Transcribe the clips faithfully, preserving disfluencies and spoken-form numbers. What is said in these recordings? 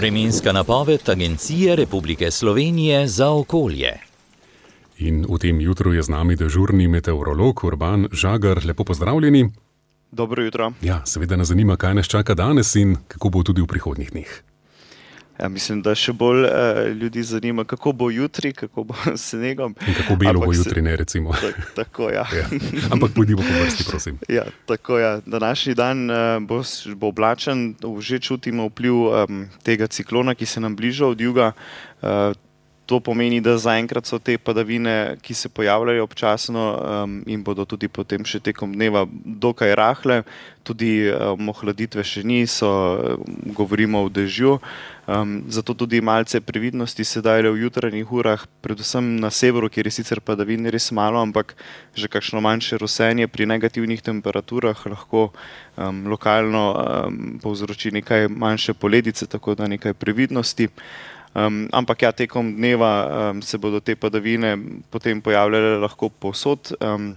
Vremenska napoved Agencije Republike Slovenije za okolje. In v tem jutru je z nami dežurni meteorolog Urban Žagar. Lepo pozdravljeni. Dobro jutro. Ja, seveda nas zanima, kaj nas čaka danes in kako bo tudi v prihodnjih dneh. Ja, mislim, da še bolj uh, ljudi zanima, kako bo jutri, kako bo s snegom. In kako belo Ampak bo se- jutri, ne recimo. Ta, tako, ja. Ja. Ampak pojdimo po vrsti, prosim. Ja, tako ja. Današnji dan uh, bo, s- bo oblačen, že čutimo vpliv um, tega ciklona, ki se nam bliža od juga. Uh, to pomeni, da zaenkrat so te padavine, ki se pojavljajo občasno um, in bodo tudi potem še tekom dneva dokaj rahle. Tudi um, ohladitve še ni, so, um, govorimo o dežju. Um, zato tudi malce previdnosti sedaj v jutranjih urah, predvsem na severu, kjer je sicer padavin res malo, ampak že kakšno manjše rosenje pri negativnih temperaturah lahko um, lokalno um, povzroči nekaj manjše poledice, tako da nekaj previdnosti. Um, ampak ja, tekom dneva um, se bodo te padavine potem pojavljale lahko povsod. Um,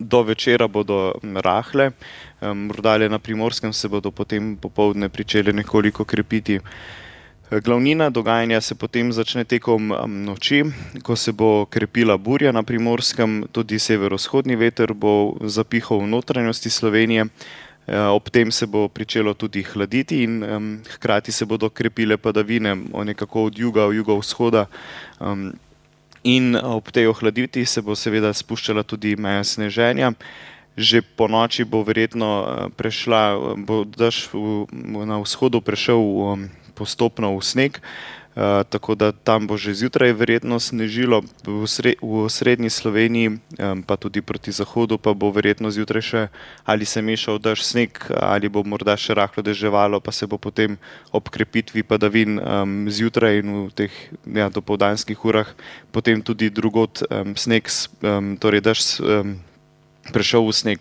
do večera bodo m, rahle, um, morda le na Primorskem se bodo potem popoldne pričele nekoliko krepiti. Glavnina dogajanja se potem začne tekom um, noči, ko se bo krepila burja na Primorskem, tudi severovzhodni veter bo zapihal v notranjosti Slovenije. Eh, Ob tem se bo pričelo tudi hladiti in um, hkrati se bodo krepile padavine o nekako od juga v jugovzhoda. Um, in ob tej ohladitvi se bo seveda spuščala tudi meja sneženja. Že po noči bo verjetno eh, prešla, bo dež v, v- na vzhodu prešel um, postopno v sneg. Uh, tako da tam bo že zjutraj verjetno snežilo, v, sre, v srednji Sloveniji, um, pa tudi proti zahodu, pa bo verjetno zjutraj še ali se mešal dež sneg, ali bo morda še rahlo deževalo, pa se bo potem ob krepitvi padavin um, zjutraj in v teh ja, dopoldanskih urah potem tudi drugod um, sneg, s- um, torej dež s- um, prešel v sneg.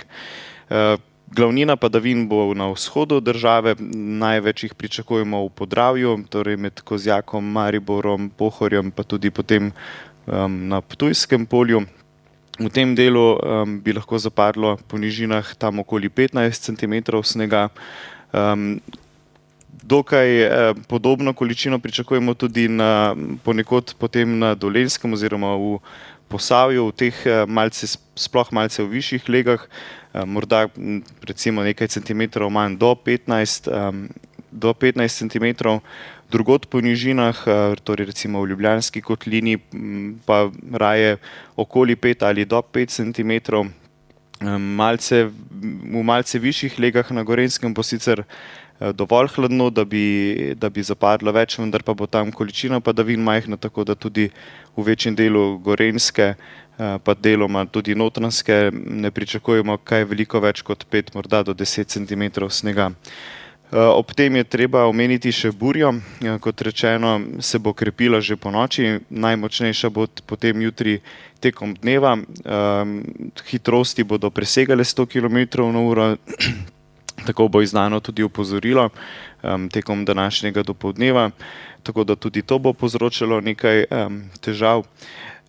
Uh, Glavnina padavin bo na vzhodu države, največ jih pričakujemo v Podravju, torej med Kozjakom, Mariborom, Pohorjem, pa tudi potem um, na Ptujskem polju. V tem delu um, bi lahko zapadlo po nižinah tam okoli petnajst centimetrov snega. Um, Dokaj eh, podobno količino pričakujemo tudi na, ponekod potem na Dolenjskem oziroma v Posavju, v teh eh, malce, sploh malce v višjih legah, eh, morda m, recimo nekaj centimetrov manj do petnajst, em, do petnajst centimetrov. Drugod po nižinah, eh, torej recimo v Ljubljanski kotlini, m, pa raje okoli pet ali do pet centimetrov. Em, Malce, v malce višjih legah na Gorenjskem bo sicer eh, dovolj hladno, da bi, da bi zapadlo več, vendar pa bo tam količina padavin majhna, tako da tudi v večjem delu Gorenjske, eh, pa deloma tudi Notranjske, ne pričakujemo kaj veliko več kot pet, morda do deset centimetrov snega. Eh, Ob tem je treba omeniti še burjo. Eh, Kot rečeno, se bo krepila že po noči, najmočnejša bo t- potem jutri tekom dneva. Um, Hitrosti bodo presegale sto kilometrov na uro, tako bo izdano tudi opozorilo um, tekom današnjega dopoldneva, tako da tudi to bo povzročalo nekaj um, težav.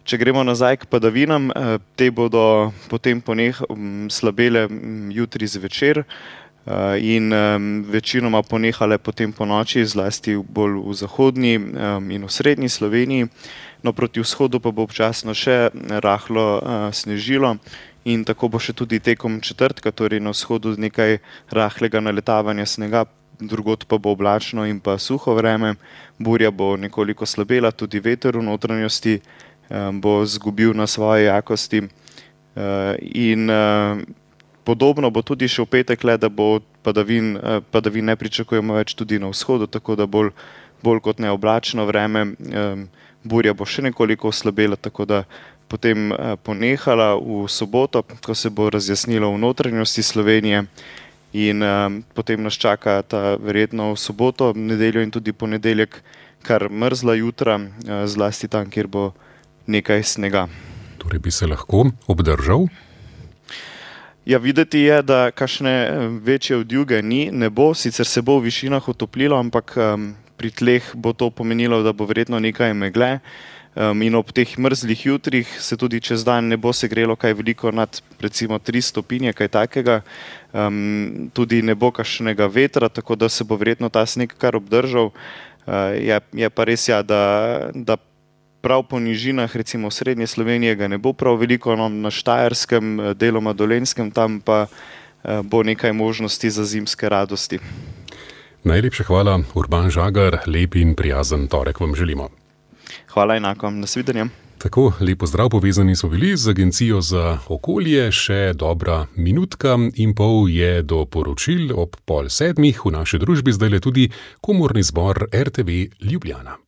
Če gremo nazaj k padavinam, eh, te bodo potem poneh um, slabele um, jutri zvečer. Uh, in um, večinoma ponehale potem po noči, zlasti bolj v zahodni um, in v srednji Sloveniji. No, proti vzhodu pa bo občasno še rahlo uh, snežilo in tako bo še tudi tekom četrtka, torej na vzhodu nekaj rahlega naletavanja snega, drugod pa bo oblačno in pa suho vreme. Burja bo nekoliko slabela, tudi veter v notranjosti um, bo zgubil na svoje jakosti. Uh, in uh, Podobno bo tudi še v petek, le da bo padavin, eh, padavin ne pričakujemo več tudi na vzhodu, tako da bolj, bolj kot ne oblačno vreme. em, Burja bo še nekoliko oslabela, tako da potem eh, ponehala v soboto, ko se bo razjasnilo v notranjosti Slovenije. In um, potem nas čaka ta verjetno v soboto, nedeljo in tudi ponedeljek kar mrzla jutra, eh, zlasti tam, kjer bo nekaj snega. Torej bi se lahko obdržal. Ja, videti je, da kakšne eh, večje odjuge ni, ne bo, sicer se bo v višinah otoplilo, ampak um, pri tleh bo to pomenilo, da bo verjetno nekaj megle. Um, in ob teh mrzlih jutrih se tudi čez dan ne bo segrelo kaj veliko nad recimo tri stopinje, kaj takega. Um, tudi ne bo kakšnega vetra, tako da se bo verjetno ta sneg kar obdržal. Je, je pa res, ja, da, da prav po nižinah, recimo v srednje Slovenije, ga ne bo prav veliko, no, na Štajerskem, deloma Dolenjskem, tam pa bo nekaj možnosti za zimske radosti. Najlepša hvala, Urban Žagar, lep in prijazen torek vam želimo. Hvala enako, nasvidenje. Tako, lepo zdrav, povezani smo bili z Agencijo za okolje, še dobra minutka in pol je do poročil ob pol sedmih v naši družbi zdajle tudi komorni zbor R T V Ljubljana.